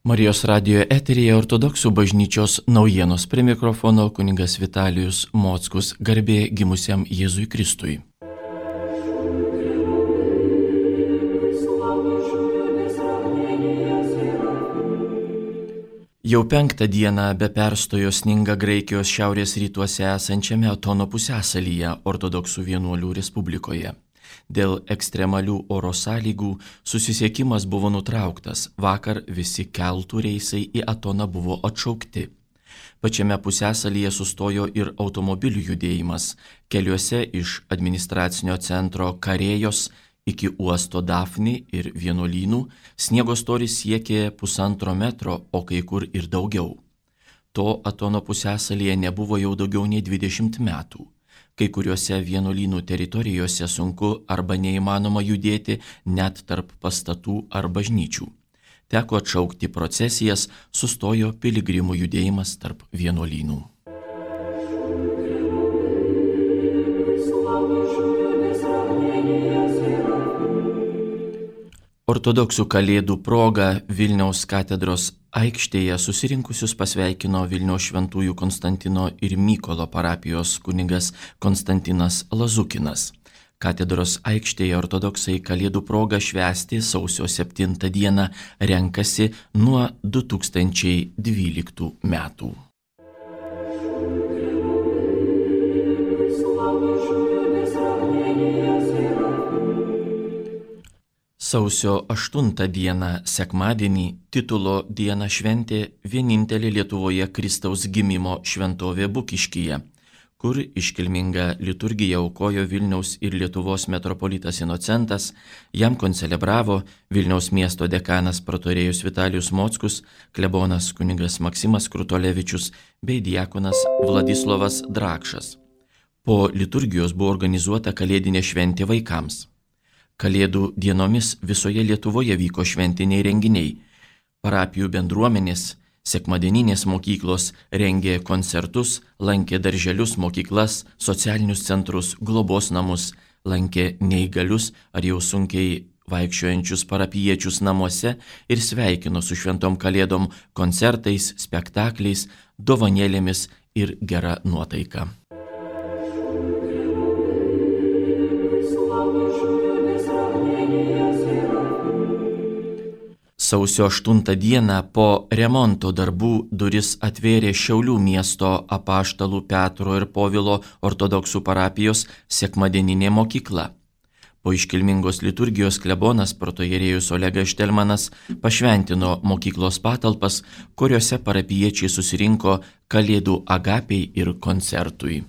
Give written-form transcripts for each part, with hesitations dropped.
Marijos radijo eteryje Ortodoksų bažnyčios naujienos, prie mikrofono kunigas Vitalijus Mockus, garbė gimusiam Jėzui Kristui. Jau 5 dieną be perstojo sninga Graikijos šiaurės rytuose esančiame Atono pusiasalyje Ortodoksų vienuolių Respublikoje. Dėl ekstremalių oro sąlygų susisiekimas buvo nutrauktas, vakar visi keltų reisai į Atoną buvo atšaukti. Pačiame pusiasalyje sustojo ir automobilių judėjimas, keliuose iš administracinio centro Karėjos iki uosto Dafni ir vienuolynų sniego storis siekė 1,5 metro, o kai kur ir daugiau. To Atono pusiasalyje nebuvo jau daugiau nei 20 metų. Kai kuriuose vienuolynų teritorijose sunku arba neįmanoma judėti net tarp pastatų ar bažnyčių. Teko atšaukti procesijas, sustojo piligrimų judėjimas tarp vienuolynų. Ortodoksų kalėdų proga Vilniaus katedros aikštėje susirinkusius pasveikino Vilniaus šventųjų Konstantino ir Mykolo parapijos kunigas Konstantinas Lazukinas. Katedros aikštėje ortodoksai kalėdų proga švęsti sausio 7 dieną renkasi nuo 2012 metų. Sausio 8 dieną, sekmadienį, titulo dieną šventė vienintelė Lietuvoje Kristaus gimimo šventovė Bukiškyje, kur iškilmingą liturgiją aukojo Vilniaus ir Lietuvos metropolitas Inocentas, jam koncelebravo Vilniaus miesto dekanas protorėjus Vitalijus Mockus, klebonas kunigas Maksimas Krutolevičius bei diakonas Vladislovas Drakšas. Po liturgijos buvo organizuota kalėdinė šventė vaikams. Kalėdų dienomis visoje Lietuvoje vyko šventiniai renginiai. Parapijų bendruomenės, sekmadieninės mokyklos rengė koncertus, lankė darželius, mokyklas, socialinius centrus, globos namus, lankė neįgalius ar jau sunkiai vaikščiojančius parapijiečius namuose ir sveikino su šventom kalėdom koncertais, spektakliais, dovanėlėmis ir gera nuotaika. Sausio 8 dieną po remonto darbų duris atvėrė Šiaulių miesto Apaštalų Petro ir Povilo ortodoksų parapijos sekmadieninė mokykla. Po iškilmingos liturgijos klebonas protoierėjus Olegas Štelmanas pašventino mokyklos patalpas, kuriuose parapijiečiai susirinko kalėdų agapiai ir koncertui.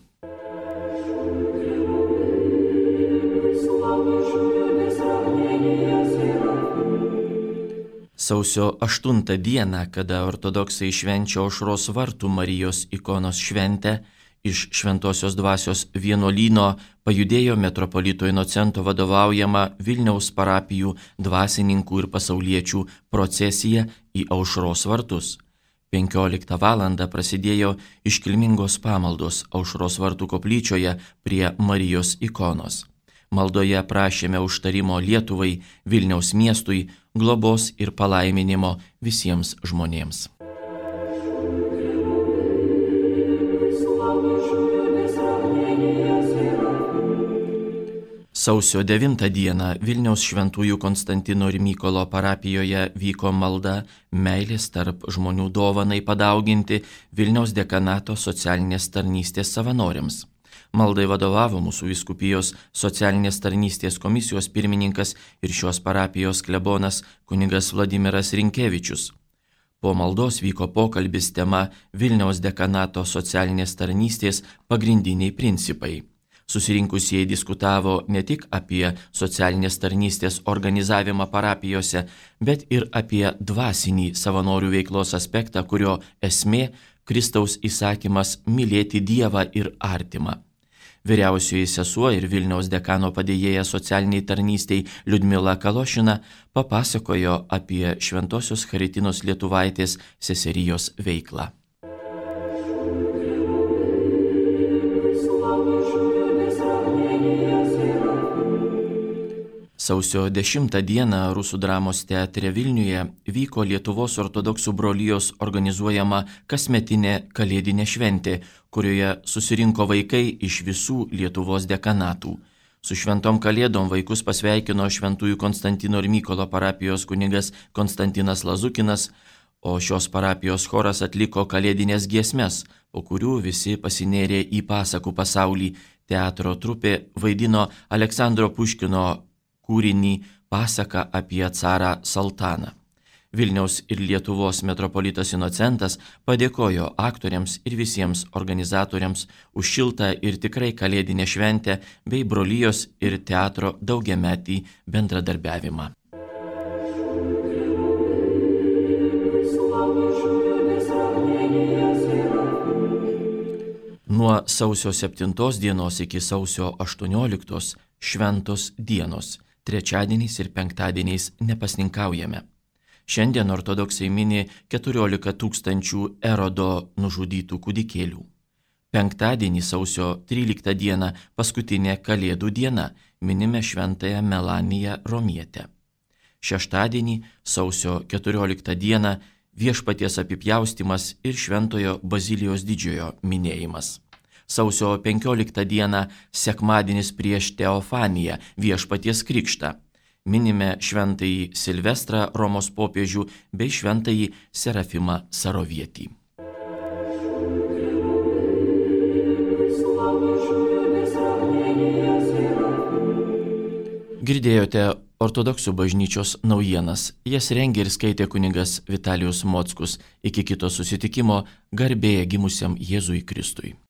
Sausio 8 dieną, kada ortodoksai švenčia Aušros vartų Marijos ikonos šventę, iš Šventosios dvasios vienuolyno pajudėjo metropolito Inocento vadovaujama Vilniaus parapijų dvasininkų ir pasauliečių procesija į Aušros vartus. 15 val. Prasidėjo iškilmingos pamaldos Aušros vartų koplyčioje prie Marijos ikonos. Maldoje prašėme užtarimo Lietuvai, Vilniaus miestui, globos ir palaiminimo visiems žmonėms. Sausio 9 dieną Vilniaus šventųjų Konstantino ir Mykolo parapijoje vyko malda meilės tarp žmonių dovanai padauginti Vilniaus dekanato socialinės tarnystės savanoriams. Maldai vadovavo mūsų vyskupijos socialinės tarnystės komisijos pirmininkas ir šios parapijos klebonas kunigas Vladimiras Rinkevičius. Po maldos vyko pokalbis tema Vilniaus dekanato socialinės tarnystės pagrindiniai principai. Susirinkusieji diskutavo ne tik apie socialinės tarnystės organizavimą parapijose, bet ir apie dvasinį savanorių veiklos aspektą, kurio esmė Kristaus įsakymas mylėti Dievą ir artimą. Vyriausioji sesuo ir Vilniaus dekano padėjėja socialiniai tarnystei Liudmila Kalošina papasakojo apie Šventosios Charitinos Lietuvaitės seserijos veiklą. Sausio 10 dieną Rusų dramos teatre Vilniuje vyko Lietuvos ortodoksų brolijos organizuojama kasmetinė kalėdinė šventė, kurioje susirinko vaikai iš visų Lietuvos dekanatų. Su šventom kalėdom vaikus pasveikino Šventųjų Konstantino ir Mykolo parapijos kunigas Konstantinas Lazukinas, o šios parapijos choras atliko kalėdinės giesmes, po kurių visi pasinėrė į pasakų pasaulį. Teatro trupė vaidino Aleksandro Puškino kūrinį Pasaka apie carą Saltaną. Vilniaus ir Lietuvos metropolitas Inocentas padėkojo aktoriams ir visiems organizatoriams už šiltą ir tikrai kalėdinę šventę bei brolijos ir teatro daugiametį bendradarbiavimą. Nuo sausio 7 dienos iki sausio 18 šventos dienos. Trečiadieniais ir penktadieniais nepasninkaujame. Šiandien ortodoksai mini 14 000 Erodo nužudytų kūdikėlių. Penktadienį sausio 13 dieną, paskutinė Kalėdų diena, minime šventąją Melaniją Romietę. Šeštadienį sausio 14 dieną Viešpaties apipjaustymas ir Šventojo Bazilijos didžiojo minėjimas. Sausio 15 dieną sekmadienis prieš Teofaniją, Viešpaties krikštą. Minime šventąjį Silvestrą Romos popiežių bei šventąjį Serafimą Sarovietį. Girdėjote ortodoksų bažnyčios naujienas. Jas rengė ir skaitė kunigas Vitalijus Mockus. Iki kito susitikimo, garbė gimusiam Jėzui Kristui.